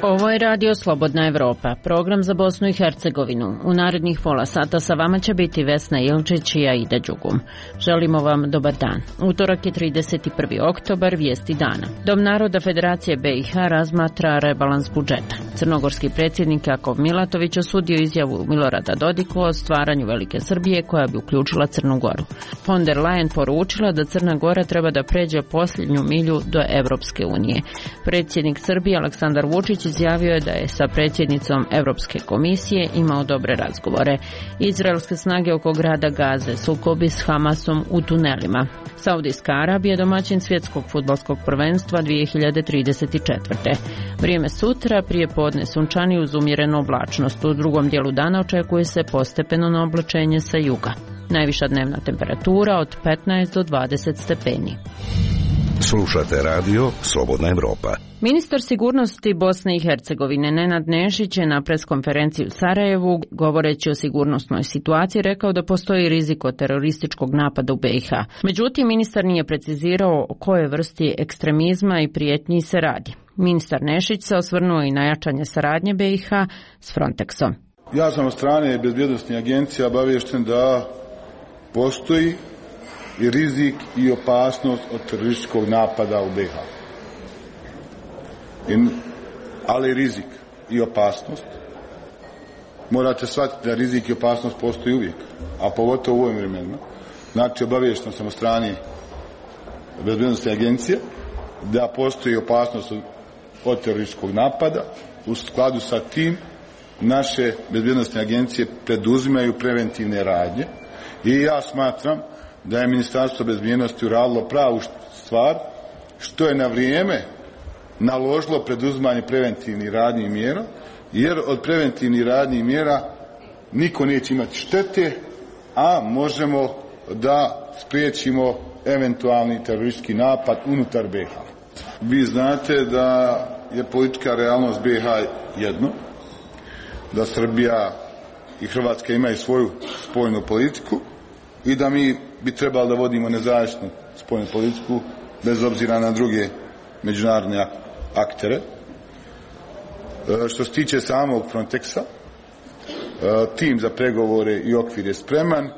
Ovo je Radio Slobodna Evropa, program za Bosnu i Hercegovinu. U narednih pola sata sa vama će biti Vesna Ilčić i Aida Đugum. Želimo vam dobar dan. Utorak je 31. oktobar, vijesti dana. Dom naroda Federacije BiH razmatra rebalans budžeta. Crnogorski predsjednik Jakov Milatović osudio izjavu Milorada Dodika o stvaranju Velike Srbije koja bi uključila Crnu Goru. Von der Leyen poručila da Crna Gora treba da pređe posljednju milju do Evropske unije. Predsjednik Srbije Aleksandar Vučić izjavio je da je sa predsjednicom Europske komisije imao dobre razgovore. Izraelske snage oko grada Gaze, sukobi s Hamasom u tunelima. Saudijska Arabija domaćin svjetskog fudbalskog prvenstva 2034. Vrijeme sutra, prije podne sunčani uz umjerenu oblačnost. U drugom dijelu dana očekuje se postepeno oblačenje sa juga. Najviša dnevna temperatura od 15 do 20 stepeni. Slušate radio Slobodna Evropa. Ministar sigurnosti Bosne i Hercegovine Nenad Nešić je na preskonferenciji u Sarajevu, govoreći o sigurnosnoj situaciji, rekao da postoji rizik od terorističkog napada u BiH. Međutim, ministar nije precizirao o kojoj vrsti ekstremizma i prijetnji se radi. Ministar Nešić se osvrnuo i na jačanje saradnje BiH s Frontexom. Ja sam od strane bezbjednosnih agencija obaviješten da postoji i rizik i opasnost od terorističkog napada u BiH. Ali rizik i opasnost, morate shvatiti da rizik i opasnost postoji uvijek, a pogotovo u ovim vremenima. Znači, obaviješten sam od strane bezbjednosne agencije da postoji opasnost od terorističkog napada. U skladu sa tim naše bezbjednosne agencije preduzimaju preventivne radnje i ja smatram da je Ministarstvo bezbjednosti uradilo pravu stvar što je na vrijeme naložilo preduzimanje preventivnih radnji i mjera, jer od preventivnih radnji i mjera niko neće imati štete, a možemo da spriječimo eventualni teroristički napad unutar BiH. Vi znate da je politička realnost BiH jedno, da Srbija i Hrvatska imaju svoju spoljnu politiku i da mi bi trebali da vodimo nezavisnu spoljnu politiku bez obzira na druge međunarodne aktere. Što se tiče samog Frontexa, tim za pregovore i okvir je spreman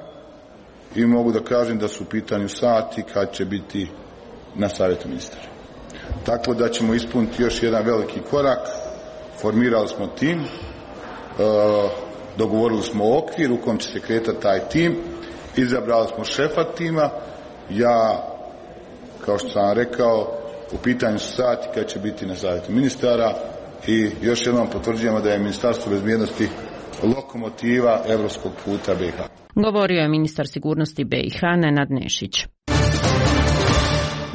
i mogu da kažem da su u pitanju sati kad će biti na savjetu ministara. Tako da ćemo ispuniti još jedan veliki korak. Formirali smo tim, dogovorili smo okvir u kom će se kretati taj tim, izabrali smo šefa tima. Ja, kao što sam rekao, u pitanju su sati kad će biti na savjetu ministara i još jednom potvrđujemo da je Ministarstvo bezbjednosti lokomotiva evropskog puta BiH. Govorio je ministar sigurnosti BiH Nenad Nešić.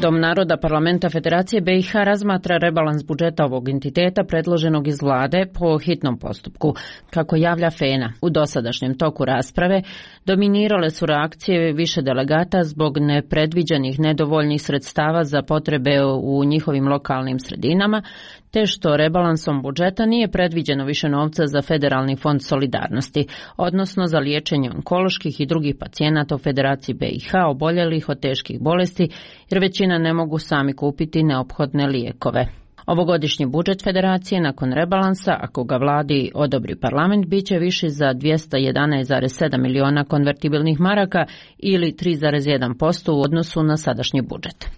Dom naroda Parlamenta Federacije BiH razmatra rebalans budžeta ovog entiteta predloženog iz vlade po hitnom postupku. Kako javlja FENA, u dosadašnjem toku rasprave dominirale su reakcije više delegata zbog nepredviđenih nedovoljnih sredstava za potrebe u njihovim lokalnim sredinama, te što rebalansom budžeta nije predviđeno više novca za Federalni fond solidarnosti, odnosno za liječenje onkoloških i drugih pacijenata u Federaciji BiH oboljelih od teških bolesti, jer većina ne mogu sami kupiti neophodne lijekove. Ovogodišnji budžet Federacije nakon rebalansa, ako ga vladi odobri parlament, bit će viši za 211,7 miliona konvertibilnih maraka ili 3,1% u odnosu na sadašnji budžet.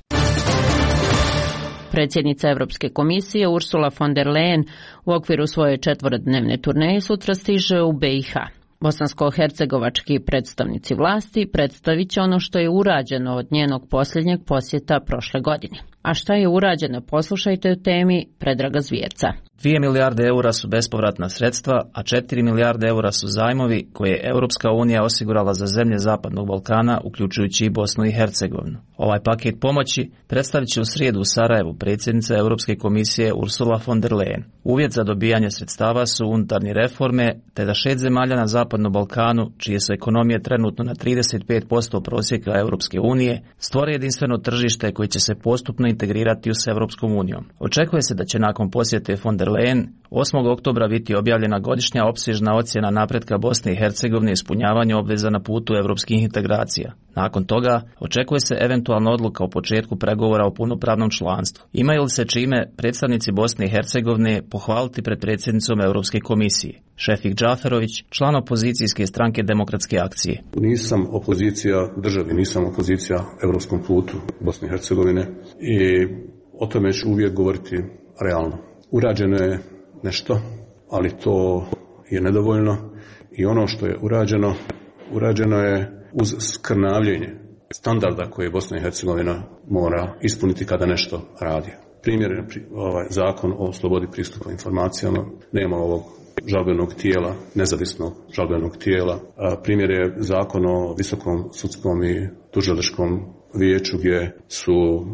Predsjednica Europske komisije Ursula von der Leyen u okviru svoje 4-dnevne turneje sutra stiže u BiH. Bosansko-hercegovački predstavnici vlasti predstavit će ono što je urađeno od njenog posljednjeg posjeta prošle godine. A šta je urađeno, poslušajte u temi Predraga Zvjerca. 2 milijarde eura su bespovratna sredstva, a 4 milijarde eura su zajmovi koje je Europska unija osigurala za zemlje Zapadnog Balkana, uključujući i Bosnu i Hercegovinu. Ovaj paket pomoći predstavit će u srijedu u Sarajevu predsjednica Europske komisije Ursula von der Leyen. Uvjet za dobijanje sredstava su unutarnje reforme, te da 6 zemalja na Zapadnom Balkanu, čije su ekonomije trenutno na 35% prosjeka Europske unije, stvore jedinstveno tržište koje će se postupno integrirati s Europskom unijom. Očekuje se da će nakon posjete von der Leyen 8. oktobra biti objavljena godišnja opsežna ocjena napretka Bosne i Hercegovine i ispunjavanju obveza na putu europskih integracija. Nakon toga očekuje se eventualna odluka o početku pregovora o punopravnom članstvu. Imaju li se čime predstavnici Bosne i Hercegovine pohvaliti pred predsjednicom Europske komisije? Šefik Džaferović, član opozicijske stranke Demokratske akcije. Nisam opozicija državi, nisam opozicija europskom putu Bosne i Hercegovine i o tome ću uvijek govoriti realno. Urađeno je nešto, ali to je nedovoljno i ono što je urađeno je uz skrnavljenje standarda koje Bosna i Hercegovina mora ispuniti kada nešto radi. Primjer je zakon o slobodi pristupa informacijama, nema ovog žalbenog tijela, nezavisnog žalbenog tijela. Primjer je zakon o visokom sudskom i tužilačkom vijeću gdje su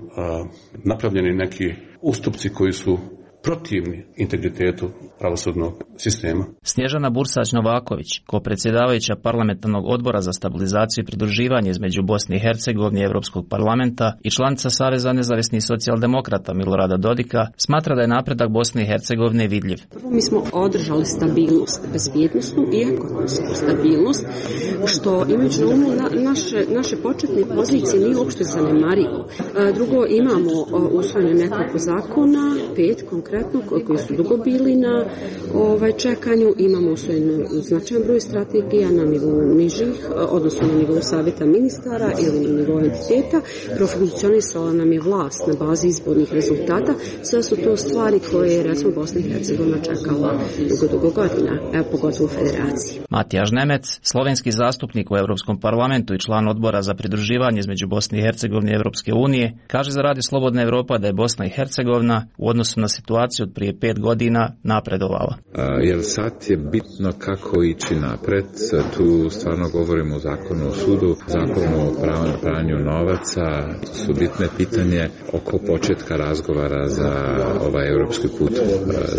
napravljeni neki ustupci koji su protivni integritetu pravosudnog sistema. Snježana Bursać-Novaković, ko-predsjedavajuća parlamentarnog odbora za stabilizaciju i pridruživanje između Bosne i Hercegovine i Europskog parlamenta i članica Saveza nezavisnih socijaldemokrata Milorada Dodika, smatra da je napredak Bosne i Hercegovine vidljiv. Prvo, mi smo održali stabilnost, bezbjednosnu i ekonomsku stabilnost, što imajući na umu naše početne pozicije nije uopšte zanemarivo. Drugo, imamo usvojene nekoliko zakona, 5 konkretno, koji su dugo bili na čekanju. Imamo usvojen značajan broj strategija na nivou nižih, odnosno na nivou savjeta ministara ili na nivou entiteta. Profunkcionisala nam je vlast na bazi izbornih rezultata. Sve su to stvari koje je, recimo, Bosna i Hercegovina čekala dugo godina, pogotovo u federaciji. Matija Žnemec, slovenski zastupnik u Europskom parlamentu i član odbora za pridruživanje između Bosne i Hercegovine i Europske unije, kaže za Radio Slobodna Europa da je Bosna i Hercegovina u odnosu na situaciju od prije 5 godina napredovala. Jer sad je bitno kako ići napred. Tu stvarno govorimo o zakonu o sudu, zakonu o pranju novaca. Su bitne pitanje oko početka razgovara za ovaj europski put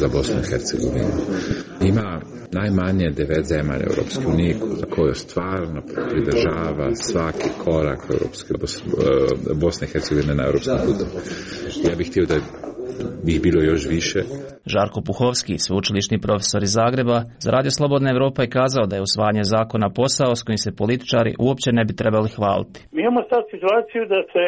za Bosnu i Hercegovinu. Ima najmanje 9 zemalja Europske unije koje stvarno pridržava svaki korak Bosne i Hercegovine na europskom putu. Ja bih htio da bih bilo još više. Žarko Puhovski, sveučilišni profesor iz Zagreba, za Radio Slobodna Europa je kazao da je usvajanje zakona posao s kojim se političari uopće ne bi trebali hvaliti. Mi imamo sad situaciju da se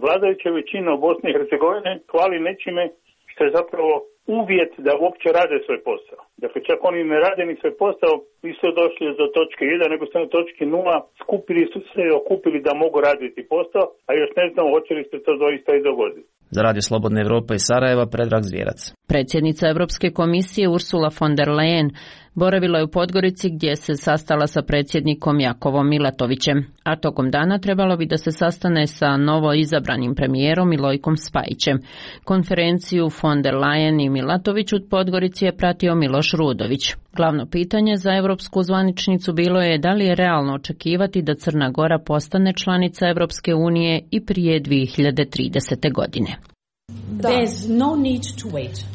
vladajuća većina u Bosni i Hercegovini hvali nečime što je zapravo uvjet da uopće rade svoj posao. Dakle, čak oni ne rade ni svoj posao, nisu došli do točke 1, nego su na točki 0, skupili su se i okupili da mogu raditi posao, a još ne znamo hoće li se to doista i dogoditi. Za Radio Slobodna Europa iz Sarajeva, Predrag Zvjerac. Predsjednica Europske komisije Ursula von der Leyen boravila je u Podgorici gdje se sastala sa predsjednikom Jakovom Milatovićem, a tokom dana trebalo bi da se sastane sa novo izabranim premijerom Milojkom Spajićem. Konferenciju von der Leyen i Milatović u Podgorici je pratio Miloš Rudović. Glavno pitanje za europsku zvaničnicu bilo je da li je realno očekivati da Crna Gora postane članica Europske unije i prije 2030. godine.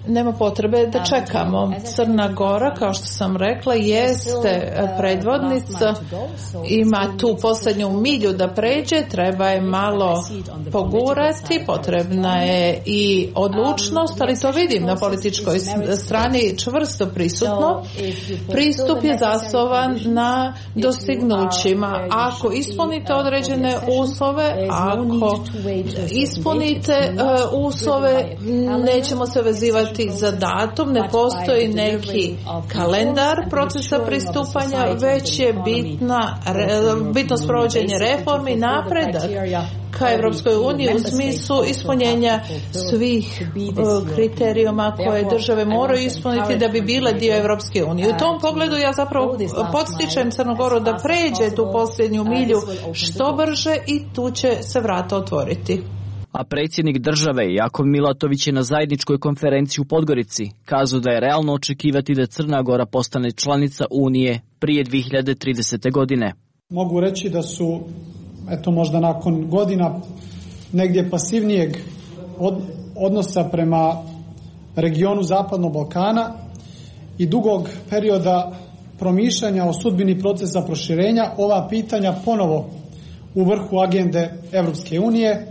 Nema potrebe da čekamo. Crna Gora, kao što sam rekla, jeste predvodnica, ima tu posljednju milju da pređe, treba je malo pogurati, potrebna je i odlučnost, ali to vidim na političkoj strani čvrsto prisutno. Pristup je zasnovan na dostignućima. Ako ispunite određene uslove, ako ispunite uslove, nećemo se vezivati za datum, ne postoji neki kalendar procesa pristupanja, već je bitno sprovođenje reformi, napredak ka Europskoj uniji u smislu ispunjenja svih kriterijuma koje države moraju ispuniti da bi bile dio Europske unije. U tom pogledu ja zapravo podstičem Crnu Goru da pređe tu posljednju milju što brže i tu će se vrata otvoriti. A predsjednik države Jakov Milatović je na zajedničkoj konferenciji u Podgorici kazao da je realno očekivati da Crna Gora postane članica Unije prije 2030. godine. Mogu reći da su, možda nakon godina negdje pasivnijeg odnosa prema regionu Zapadnog Balkana i dugog perioda promišljanja o sudbini procesa proširenja, ova pitanja ponovo u vrhu agende Europske unije.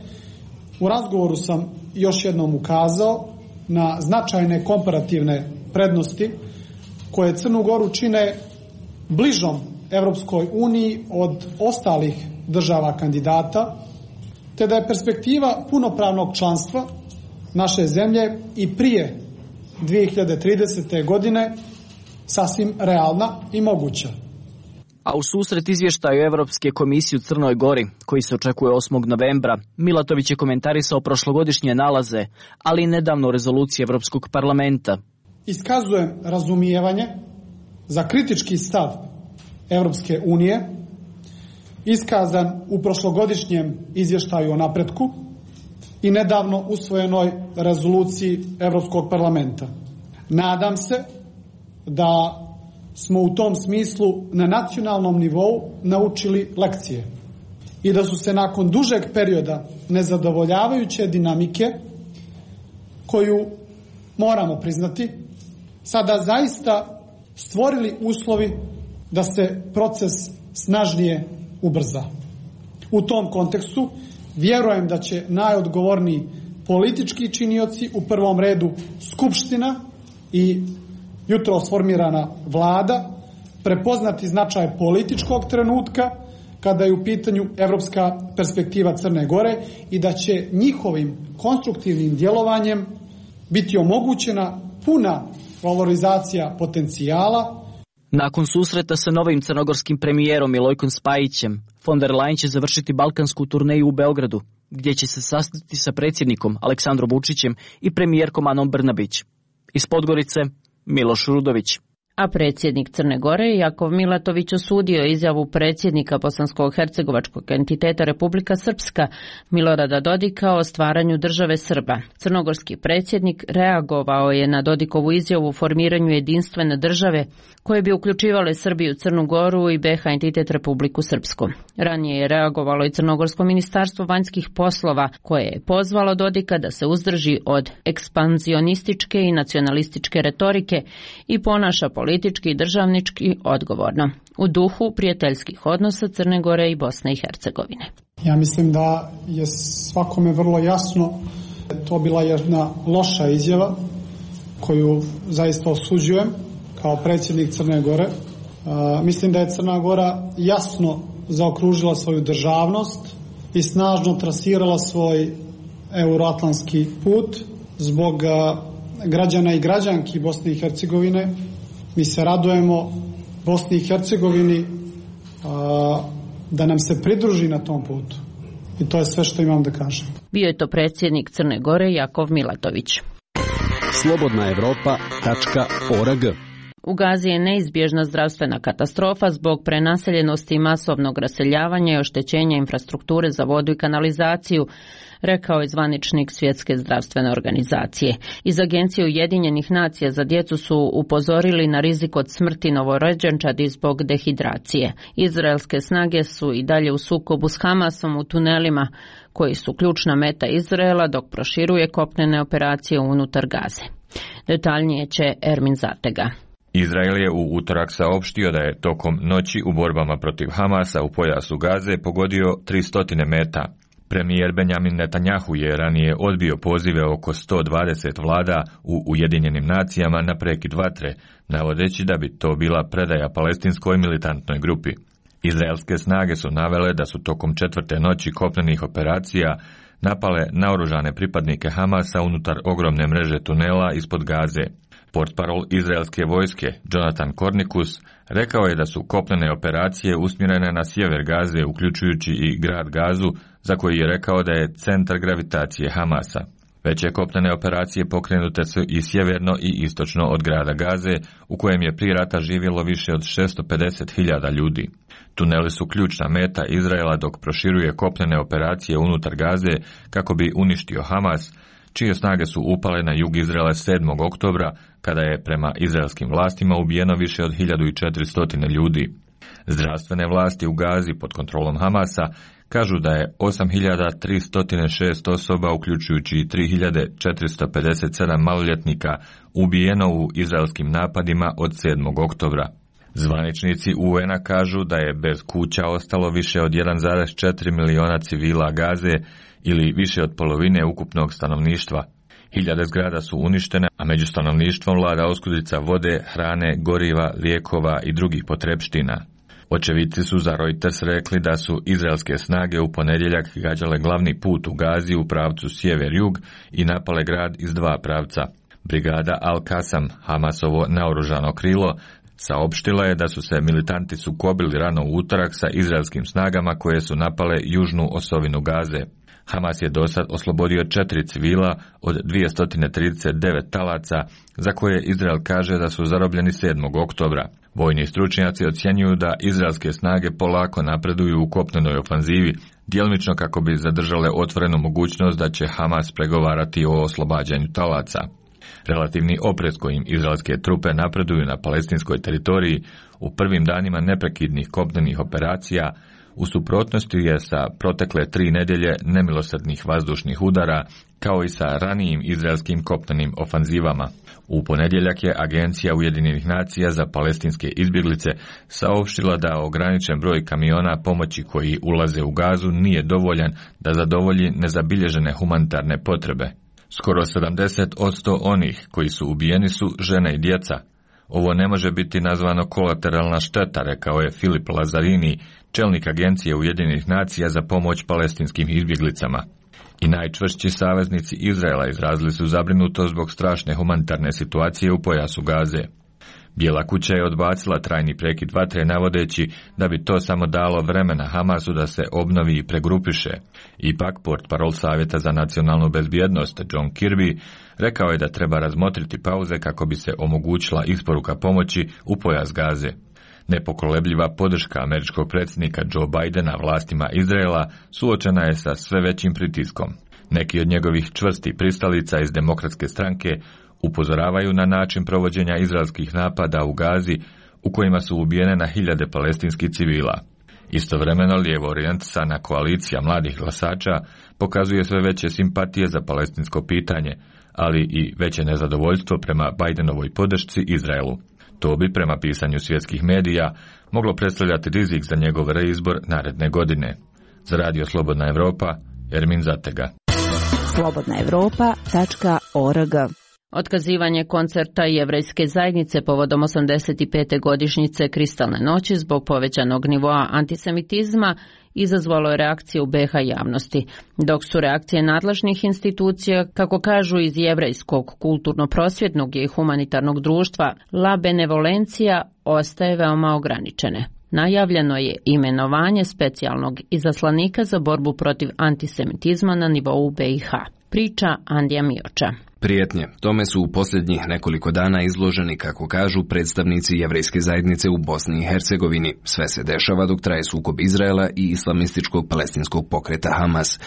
U razgovoru sam još jednom ukazao na značajne komparativne prednosti koje Crnu Goru čine bližom Evropskoj uniji od ostalih država kandidata, te da je perspektiva punopravnog članstva naše zemlje i prije 2030. godine sasvim realna i moguća. A u susret izvještaju Evropske komisije u Crnoj Gori, koji se očekuje 8. novembra, Milatović je komentarisao prošlogodišnje nalaze, ali i nedavno rezolucije Evropskog parlamenta. Iskazujem razumijevanje za kritički stav Evropske unije, iskazan u prošlogodišnjem izvještaju o napretku i nedavno usvojenoj rezoluciji Evropskog parlamenta. Nadam se da smo u tom smislu na nacionalnom nivou naučili lekcije i da su se nakon dužeg perioda nezadovoljavajuće dinamike, koju moramo priznati, sada zaista stvorili uslovi da se proces snažnije ubrza. U tom kontekstu vjerujem da će najodgovorniji politički činioci, u prvom redu Skupština i jutros formirana vlada, prepoznati značaj političkog trenutka kada je u pitanju evropska perspektiva Crne Gore i da će njihovim konstruktivnim djelovanjem biti omogućena puna valorizacija potencijala. Nakon susreta sa novim crnogorskim premijerom Milojkom Spajićem, von der Leyen će završiti balkansku turneju u Beogradu, gdje će se sastati sa predsjednikom Aleksandrom Vučićem i premijerkom Anom Brnabić. Iz Podgorice, Miloš Rudović. A predsjednik Crne Gore Jakov Milatović osudio izjavu predsjednika bosansko-hercegovačkog entiteta Republika Srpska Milorada Dodika o stvaranju države Srba. Crnogorski predsjednik reagovao je na Dodikovu izjavu o formiranju jedinstvene države koje bi uključivale Srbiju, Crnu Goru i BiH entitet Republiku Srpsku. Ranije je reagovalo i Crnogorsko ministarstvo vanjskih poslova koje je pozvalo Dodika da se uzdrži od ekspanzionističke i nacionalističke retorike i ponaša politički i državnički odgovorno, u duhu prijateljskih odnosa Crne Gore i Bosne i Hercegovine. Ja mislim da je svakome vrlo jasno da je to bila jedna loša izjava koju zaista osuđujem kao predsjednik Crne Gore. Mislim da je Crna Gora jasno zaokružila svoju državnost i snažno trasirala svoj euroatlantski put zbog građana i građanki Bosne i Hercegovine. Mi se radujemo Bosni i Hercegovini da nam se pridruži na tom putu. I to je sve što imam da kažem. Bio je to predsjednik Crne Gore Jakov Milatović. Slobodnaevropa.org. U Gazi je neizbježna zdravstvena katastrofa zbog prenaseljenosti i masovnog raseljavanja i oštećenja infrastrukture za vodu i kanalizaciju, rekao je zvaničnik Svjetske zdravstvene organizacije. Iz Agencije Ujedinjenih nacija za djecu su upozorili na rizik od smrti novorođenčadi zbog dehidracije. Izraelske snage su i dalje u sukobu s Hamasom u tunelima, koji su ključna meta Izraela dok proširuje kopnene operacije unutar Gaze. Detaljnije će Ermin Zatega. Izrael je u utorak saopštio da je tokom noći u borbama protiv Hamasa u pojasu Gaze pogodio 300 meta. Premijer Benjamin Netanjahu je ranije odbio pozive oko 120 vlada u Ujedinjenim nacijama na prekid vatre, navodeći da bi to bila predaja palestinskoj militantnoj grupi. Izraelske snage su navele da su tokom 4. noći kopnenih operacija napale naoružane pripadnike Hamasa unutar ogromne mreže tunela ispod Gaze. Portparol izraelske vojske Jonathan Kornikus rekao je da su kopnene operacije usmjerene na sjever Gaze, uključujući i grad Gazu, za koji je rekao da je centar gravitacije Hamasa. Veće kopnene operacije pokrenute su i sjeverno i istočno od grada Gaze, u kojem je prije rata živjelo više od 650.000 ljudi. Tuneli su ključna meta Izraela dok proširuje kopnene operacije unutar Gaze kako bi uništio Hamas, čije snage su upale na jug Izraela 7. oktobra, kada je prema izraelskim vlastima ubijeno više od 1400 ljudi. Zdravstvene vlasti u Gazi pod kontrolom Hamasa kažu da je 8.306 osoba, uključujući 3.457 maloljetnika, ubijeno u izraelskim napadima od 7. oktobra. Zvaničnici UN-a kažu da je bez kuća ostalo više od 1,4 miliona civila Gaze ili više od polovine ukupnog stanovništva. Hiljade zgrada su uništene, a među stanovništvom vlada oskudica vode, hrane, goriva, lijekova i drugih potrepština. Očevici su za Reuters rekli da su izraelske snage u ponedjeljak gađale glavni put u Gazi u pravcu sjever-jug i napale grad iz dva pravca. Brigada Al-Qassam, Hamasovo naoružano krilo, saopštila je da su se militanti sukobili rano u utorak sa izraelskim snagama koje su napale južnu osovinu Gaze. Hamas je dosad oslobodio 4 civila od 239 talaca, za koje Izrael kaže da su zarobljeni 7. oktobra. Vojni stručnjaci ocjenjuju da izraelske snage polako napreduju u kopnenoj ofanzivi, djelomično kako bi zadržale otvorenu mogućnost da će Hamas pregovarati o oslobađanju talaca. Relativni oprez kojim izraelske trupe napreduju na palestinskoj teritoriji u prvim danima neprekidnih kopnenih operacija u suprotnosti je sa protekle 3 nedjelje nemilosrdnih vazdušnih udara, kao i sa ranijim izraelskim kopnenim ofanzivama. U ponedjeljak je Agencija Ujedinjenih nacija za palestinske izbjeglice saopštila da ograničen broj kamiona pomoći koji ulaze u Gazu nije dovoljan da zadovolji nezabilježene humanitarne potrebe. Skoro 70% onih koji su ubijeni su žene i djeca. Ovo ne može biti nazvano kolateralna šteta, rekao je Filip Lazarini, čelnik Agencije Ujedinjenih nacija za pomoć palestinskim izbjeglicama. I najčvršći saveznici Izraela izrazili su zabrinutost zbog strašne humanitarne situacije u pojasu Gaze. Bijela kuća je odbacila trajni prekid vatre navodeći da bi to samo dalo vremena Hamasu da se obnovi i pregrupiše. Ipak, portparol Savjeta za nacionalnu bezbjednost John Kirby rekao je da treba razmotriti pauze kako bi se omogućila isporuka pomoći u pojas Gaze. Nepokolebljiva podrška američkog predsjednika Joe Bidena vlastima Izraela suočena je sa sve većim pritiskom. Neki od njegovih čvrstih pristalica iz Demokratske stranke upozoravaju na način provođenja izraelskih napada u Gazi u kojima su ubijene na hiljade palestinskih civila. Istovremeno lijevo orijentisana koalicija mladih glasača pokazuje sve veće simpatije za palestinsko pitanje, ali i veće nezadovoljstvo prema Bidenovoj podršci Izraelu. To bi, prema pisanju svjetskih medija, moglo predstavljati rizik za njegov reizbor naredne godine. Za Radio Slobodna Evropa, Ermin Zatega. slobodnaevropa.org. Otkazivanje koncerta Jevrejske zajednice povodom 85. godišnjice Kristalne noći zbog povećanog nivoa antisemitizma izazvalo je reakcije u BiH javnosti, dok su reakcije nadležnih institucija, kako kažu iz Jevrejskog kulturno-prosvjetnog i humanitarnog društva La Benevolencija, ostaje veoma ograničene. Najavljeno je imenovanje specijalnog izaslanika za borbu protiv antisemitizma na nivou BiH. Priča Andija Mioča. Prijetnje tome su u posljednjih nekoliko dana izloženi, kako kažu predstavnici Jevrejske zajednice u Bosni i Hercegovini. Sve se dešava dok traje sukob Izraela i islamističkog palestinskog pokreta Hamas.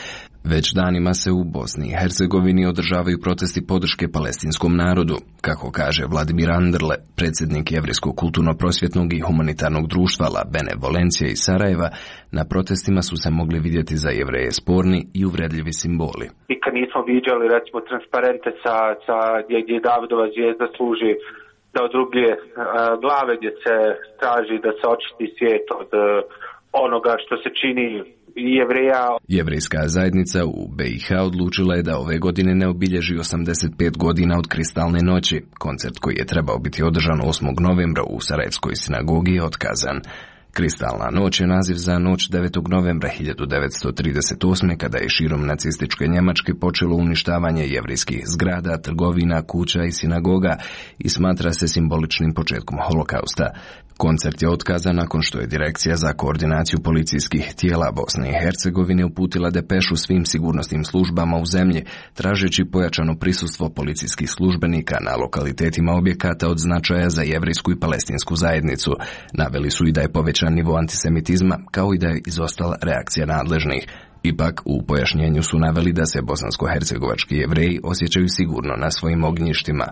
Već danima se u Bosni i Hercegovini održavaju protesti podrške palestinskom narodu. Kako kaže Vladimir Anderle, predsjednik Jevrejskog kulturno-prosvjetnog i humanitarnog društva La Benevolencija iz Sarajeva, na protestima su se mogli vidjeti za Jevreje sporni i uvredljivi simboli. Nikad nismo viđali, recimo, transparente gdje Davidova zvijezda služi da od druge glave, gdje se traži da se očisti svijet od onoga što se čini Jevreja. Jevrejska zajednica u BiH odlučila je da ove godine ne obilježi 85 godina od Kristalne noći. Koncert koji je trebao biti održan 8. novembra u Sarajevskoj sinagogi je otkazan. Kristalna noć je naziv za noć 9. novembra 1938. kada je širom nacističke Njemačke počelo uništavanje jevrejskih zgrada, trgovina, kuća i sinagoga i smatra se simboličnim početkom holokausta. Koncert je otkazan nakon što je Direkcija za koordinaciju policijskih tijela Bosne i Hercegovine uputila depešu svim sigurnosnim službama u zemlji, tražeći pojačano prisustvo policijskih službenika na lokalitetima objekata od značaja za jevrejsku i palestinsku zajednicu. Naveli su i da je povećan nivo antisemitizma, kao i da je izostala reakcija nadležnih. Ipak, u pojašnjenju su naveli da se bosansko-hercegovački Jevreji osjećaju sigurno na svojim ognjištima.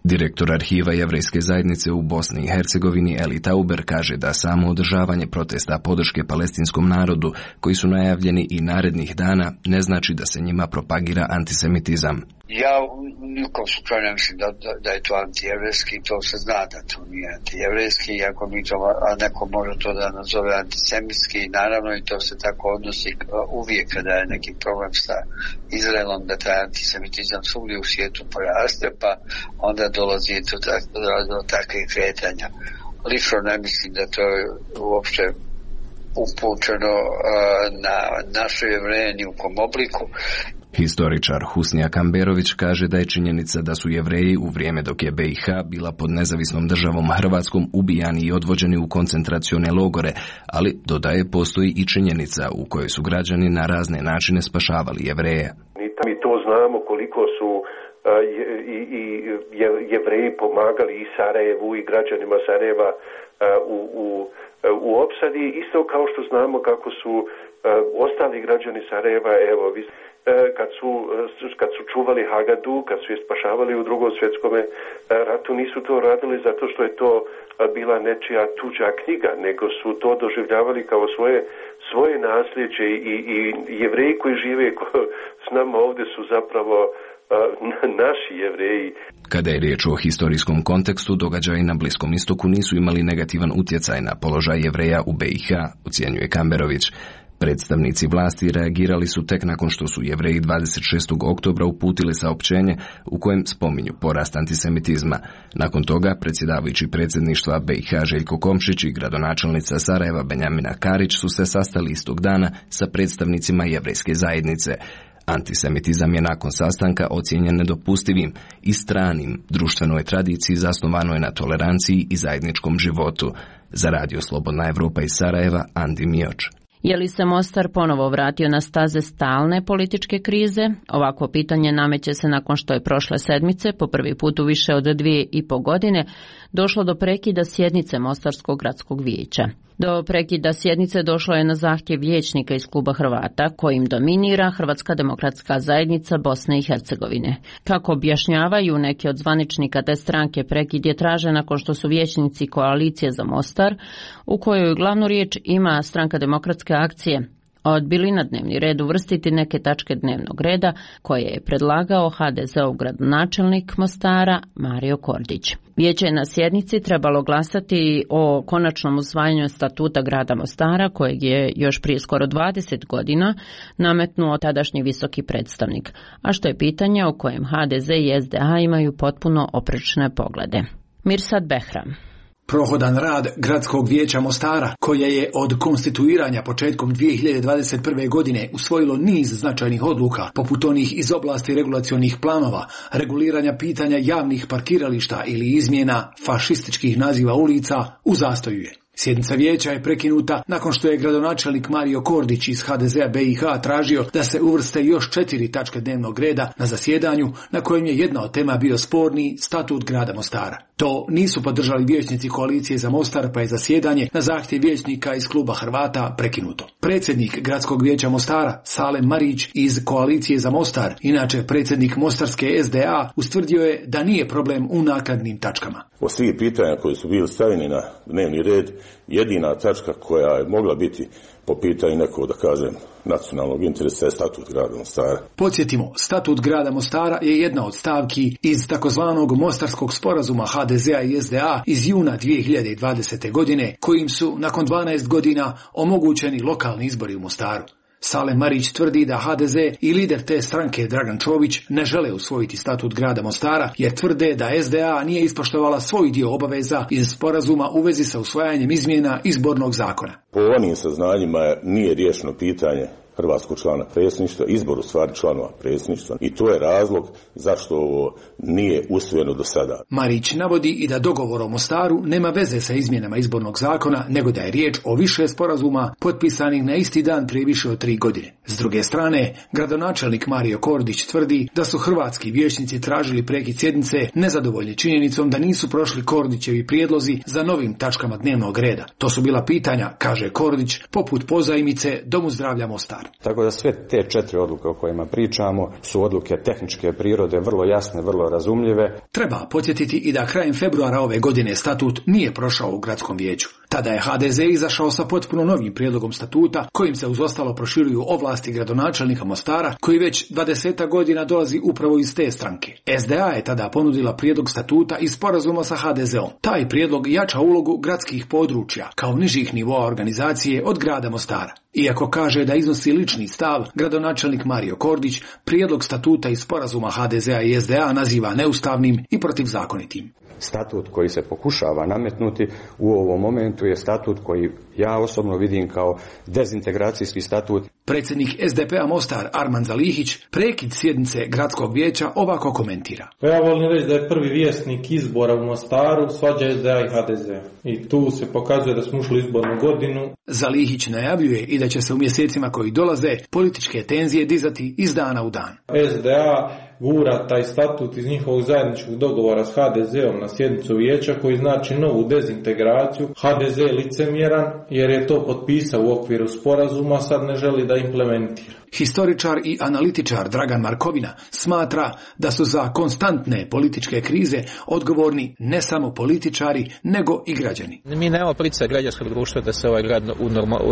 Direktor arhiva Jevrejske zajednice u Bosni i Hercegovini Eli Tauber kaže da samo održavanje protesta podrške palestinskom narodu, koji su najavljeni i narednih dana, ne znači da se njima propagira antisemitizam. Ja nikom slučaju ne mislim da je to antijevrijski, to se zna da to nije antijevrijski, iako mi to, a neko može to da nazove antisemitski, naravno i to se tako odnosi uvijek kada je neki problem sa Izraelom, da taj antisemitizam svugdje u svijetu poraste, pa onda dolazi do takvih kretanja. Lično ne mislim da to je uopće upućeno na naše Jevreje ni u kom obliku. Historičar Husnija Kamberović kaže da je činjenica da su Jevreji u vrijeme dok je BiH bila pod nezavisnom državom Hrvatskom ubijani i odvođeni u koncentracione logore, ali dodaje postoji i činjenica u kojoj su građani na razne načine spašavali Jevreje. Mi to znamo koliko su Jevreji pomagali i Sarajevu i građanima Sarajeva u opsadi, isto kao što znamo kako su ostali građani Sarajeva, kad su čuvali Hagadu, kad su je spašavali u Drugom svjetskom ratu, nisu to radili zato što je to bila nečija tuđa knjiga, nego su to doživljavali kao svoje nasljeđe i Jevreji koji žive s nama ovdje su zapravo naši Jevreji. Kada je riječ o historijskom kontekstu, događaji na Bliskom istoku nisu imali negativan utjecaj na položaj Jevreja u BiH, ocjenjuje Kamberović. Predstavnici vlasti reagirali su tek nakon što su Jevreji 26. oktobra uputili saopćenje u kojem spominju porast antisemitizma. Nakon toga predsjedavajući predsjedništva BiH Željko Komšić i gradonačelnica Sarajeva Benjamina Karić su se sastali istog dana sa predstavnicima jevrejske zajednice. Antisemitizam je nakon sastanka ocijenjen nedopustivim i stranim društvenoj tradiciji zasnovanoj na toleranciji i zajedničkom životu. Za Radio Slobodna Evropa iz Sarajeva, Andi Mioč. Je li se Mostar ponovo vratio na staze stalne političke krize? Ovakvo pitanje nameće se nakon što je prošle sedmice, po prvi put u više od 2,5 godine, došlo do prekida sjednice Mostarskog gradskog vijeća. Do prekida sjednice došlo je na zahtjev vijećnika iz kluba Hrvata, kojim dominira Hrvatska demokratska zajednica Bosne i Hercegovine. Kako objašnjavaju neki od zvaničnika te stranke, prekid je tražen nakon što su vijećnici koalicije za Mostar, u kojoj glavnu riječ ima Stranka demokratske akcije, odbili na dnevni red uvrstiti neke tačke dnevnog reda koje je predlagao HDZ-ov gradonačelnik Mostara Mario Kordić. Vijeće je na sjednici trebalo glasati o konačnom usvajanju statuta grada Mostara, kojeg je još prije skoro 20 godina nametnuo tadašnji visoki predstavnik, a što je pitanje o kojem HDZ i SDA imaju potpuno oprečne poglede. Mirsad Behram. Prohodan rad Gradskog vijeća Mostara, koje je od konstituiranja početkom 2021. godine usvojilo niz značajnih odluka, poput onih iz oblasti regulacionih planova, reguliranja pitanja javnih parkirališta ili izmjena fašističkih naziva ulica, u zastoju je. Sjednica vijeća je prekinuta nakon što je gradonačelnik Mario Kordić iz HDZ-a BiH tražio da se uvrste još 4 tačke dnevnog reda na zasjedanju na kojem je jedna od tema bio sporni statut grada Mostara. To nisu podržali vijećnici koalicije za Mostar, pa je zasjedanje na zahtjev vijećnika iz kluba Hrvata prekinuto. Predsjednik Gradskog vijeća Mostara, Salem Marić iz koalicije za Mostar, inače predsjednik Mostarske SDA, ustvrdio je da nije problem u naknadnim tačkama. O svih pitanja koji su bili stavljeni na dnevni red, jedina tačka koja je mogla biti po pitanju nekog, da kažem, nacionalnog interesa je statut grada Mostara. Podsjetimo, statut grada Mostara je jedna od stavki iz takozvanog Mostarskog sporazuma HDZ-a i SDA iz juna 2020. godine, kojim su nakon 12 godina omogućeni lokalni izbori u Mostaru. Salem Marić tvrdi da HDZ i lider te stranke Dragan Čović ne žele usvojiti statut grada Mostara, jer tvrde da SDA nije ispoštovala svoj dio obaveza iz sporazuma u vezi sa usvajanjem izmjena izbornog zakona. Po onim saznanjima nije riješeno pitanje hrvatskog člana predsjedništva, izbor u stvari članova predsjedništva, i to je razlog zašto ovo nije usvojeno do sada. Marić navodi i da dogovor o Mostaru nema veze sa izmjenama izbornog zakona, nego da je riječ o više sporazuma potpisanih na isti dan prije više od 3 godine. S druge strane, gradonačelnik Mario Kordić tvrdi da su hrvatski vijećnici tražili prekid sjednice nezadovoljni činjenicom da nisu prošli Kordićevi prijedlozi za novim tačkama dnevnog reda. To su bila pitanja, kaže Kordić, poput pozajmice Domu zdravlja Mostar. Tako da sve te 4 odluke o kojima pričamo su odluke tehničke prirode, vrlo jasne, vrlo razumljive. Treba podsjetiti i da krajem februara ove godine statut nije prošao u gradskom vijeću. Tada je HDZ izašao sa potpuno novim prijedlogom statuta kojim se uz ostalo proširuju ovlasti gradonačelnika Mostara koji već 20 godina dolazi upravo iz te stranke. SDA je tada ponudila prijedlog statuta i sporazuma sa HDZ-om. Taj prijedlog jača ulogu gradskih područja kao nižih nivoa organizacije od grada Mostara. Iako kaže da iznosi lični stav, gradonačelnik Mario Kordić prijedlog statuta i sporazuma HDZ-a i SDA naziva neustavnim i protivzakonitim. Statut koji se pokušava nametnuti u ovom momentu je statut koji ja osobno vidim kao dezintegracijski statut. Predsjednik SDP-a Mostar Arman Zalihić prekid sjednice gradskog vijeća ovako komentira. Ja volim reći da je prvi vjesnik izbora u Mostaru svađa SDA i HDZ. I tu se pokazuje da smo ušli u izbornu godinu. Zalihić najavljuje i da će se u mjesecima koji dolaze političke tenzije dizati iz dana u dan. SDA gura taj statut iz njihovog zajedničkog dogovora s HDZ-om na sjednicu vijeća koji znači novu dezintegraciju. HDZ je licemjeran jer je to potpisao u okviru sporazuma, sad ne želi da implementira. Historičar i analitičar Dragan Markovina smatra da su za konstantne političke krize odgovorni ne samo političari, nego i građani. Mi nemamo pritisak građanskog društva da se ovaj grad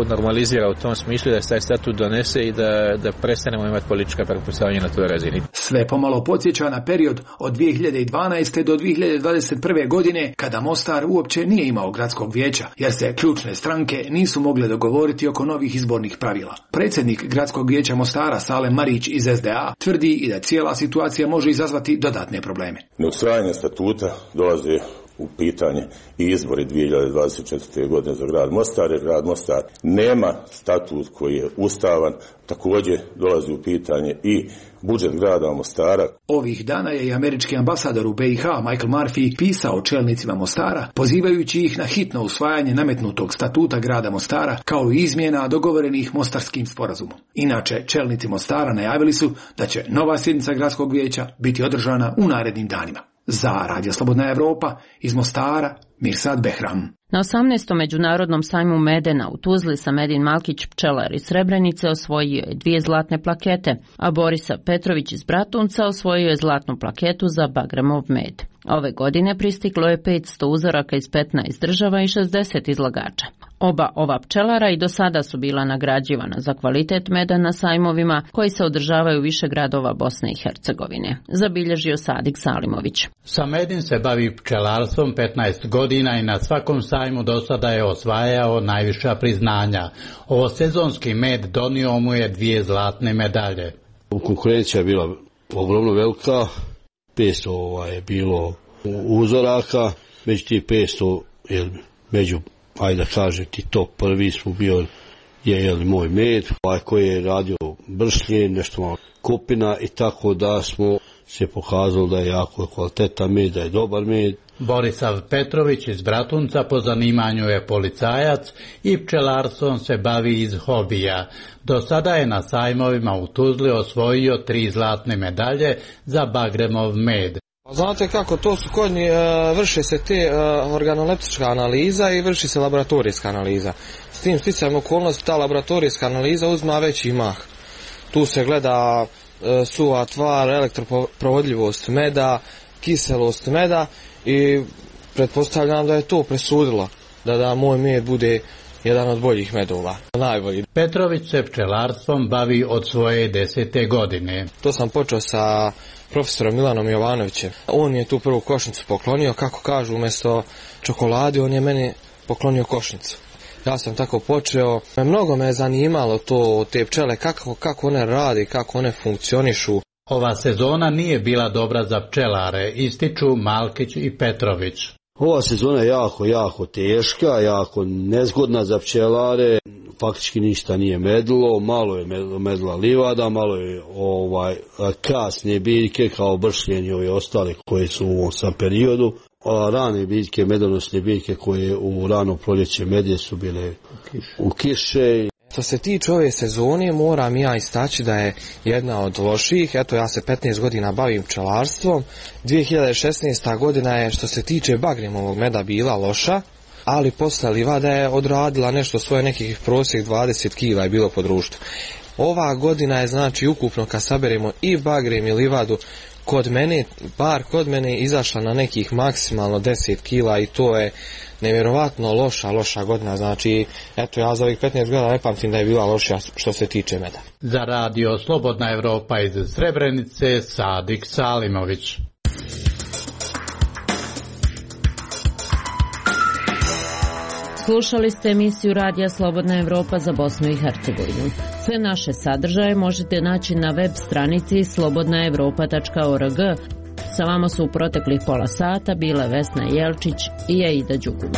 normalizira u tom smislu, da se taj statut donese i da prestanemo imati politička pretpostavljanja na toj razini. Sve pomalo podsjeća na period od 2012. do 2021. godine kada Mostar uopće nije imao gradskog vijeća, jer se ključne stranke nisu mogle dogovoriti oko novih izbornih pravila. Predsjednik gradskog vijeća Mostara Salem Marić iz SDA tvrdi i da cijela situacija može izazvati dodatne probleme. Neusvajanje statuta dolazi u pitanje i izbori 2024. godine za grad Mostar, jer grad Mostar nema statut koji je ustavan, također dolazi u pitanje i budžet grada Mostara. Ovih dana je i američki ambasador u BiH Michael Murphy pisao čelnicima Mostara, pozivajući ih na hitno usvajanje nametnutog statuta grada Mostara kao i izmjena dogovorenih mostarskim sporazumom. Inače, čelnici Mostara najavili su da će nova sjednica gradskog vijeća biti održana u narednim danima. Za Radio Slobodna Evropa iz Mostara, Mirsad Behram. Na 18. međunarodnom sajmu medena u Tuzli Samedin Malkić pčelar iz Srebrenice osvojio je 2 zlatne plakete, a Borisa Petrović iz Bratunca osvojio je zlatnu plaketu za Bagremov med. Ove godine pristiglo je 500 uzoraka iz 15 država i 60 izlagača. Oba ova pčelara i do sada su bila nagrađivana za kvalitet meda na sajmovima koji se održavaju više gradova Bosne i Hercegovine, zabilježio Sadik Salimović. Samedin se bavi pčelarstvom 15 godina i na svakom sajmu do sada je osvajao najviša priznanja. Ovo sezonski med donio mu je 2 zlatne medalje. Konkurencija je bila ogromno velika, 500 je bilo uzoraka, među tih 500 među, ajde da kažem ti top prvi smo bio je moj med, koji je radio bršlje, nešto malo kupina i tako da smo se pokazalo da je jako kvalitetan med, da je dobar med. Borisav Petrović iz Bratunca po zanimanju je policajac i pčelarstvom se bavi iz hobija. Do sada je na sajmovima u Tuzli osvojio 3 zlatne medalje za Bagremov med. Znate kako, to su konji, vrše se te organoleptička analiza i vrši se laboratorijska analiza. S tim sticajem okolnosti ta laboratorijska analiza uzma veći mah. Tu se gleda suva tvar, elektroprovodljivost meda, kiselost meda i pretpostavljam da je to presudilo da moj med bude jedan od boljih medova, najbolji. Petrović se pčelarstvom bavi od svoje 10. godine. To sam počeo sa profesorom Milanom Jovanovićem. On je tu prvu košnicu poklonio, kako kažu, umjesto čokolade on je meni poklonio košnicu. Ja sam tako počeo. Mnogo me je zanimalo to, te pčele, kako one rade, kako one funkcionišu. Ova sezona nije bila dobra za pčelare, ističu Malkić i Petrović. Ova sezona je jako teška, jako nezgodna za pčelare. Faktički ništa nije medilo, malo je medila livada, malo je kasne biljke kao bršljenje ove ostale koje su u ovom sam periodu. Rane biljke, medonosne biljke koje u rano proljeće medje su bile u kiše. Što se tiče ove sezone, moram ja istaći da je jedna od loših. Eto, ja se 15 godina bavim pčelarstvom. 2016. godina je, što se tiče Bagremovog meda, bila loša. ali posle livada je odradila nešto svoje, nekih prosjek 20 kila je bilo po društvu. Ova godina je znači ukupno kad saberemo i bagrem i livadu bar kod mene izašla na nekih maksimalno 10 kila i to je nevjerovatno loša godina, znači eto ja za ovih 15 godina ne pamtim da je bila loša što se tiče meda. Za radio Slobodna Evropa iz Srebrenice, Sadik Salimović. Slušali ste emisiju Radija Slobodna Evropa za Bosnu i Hercegovinu. Sve naše sadržaje možete naći na web stranici slobodnaevropa.org. Sa vama su u proteklih pola sata bile Vesna Jelčić i Aida Đugum.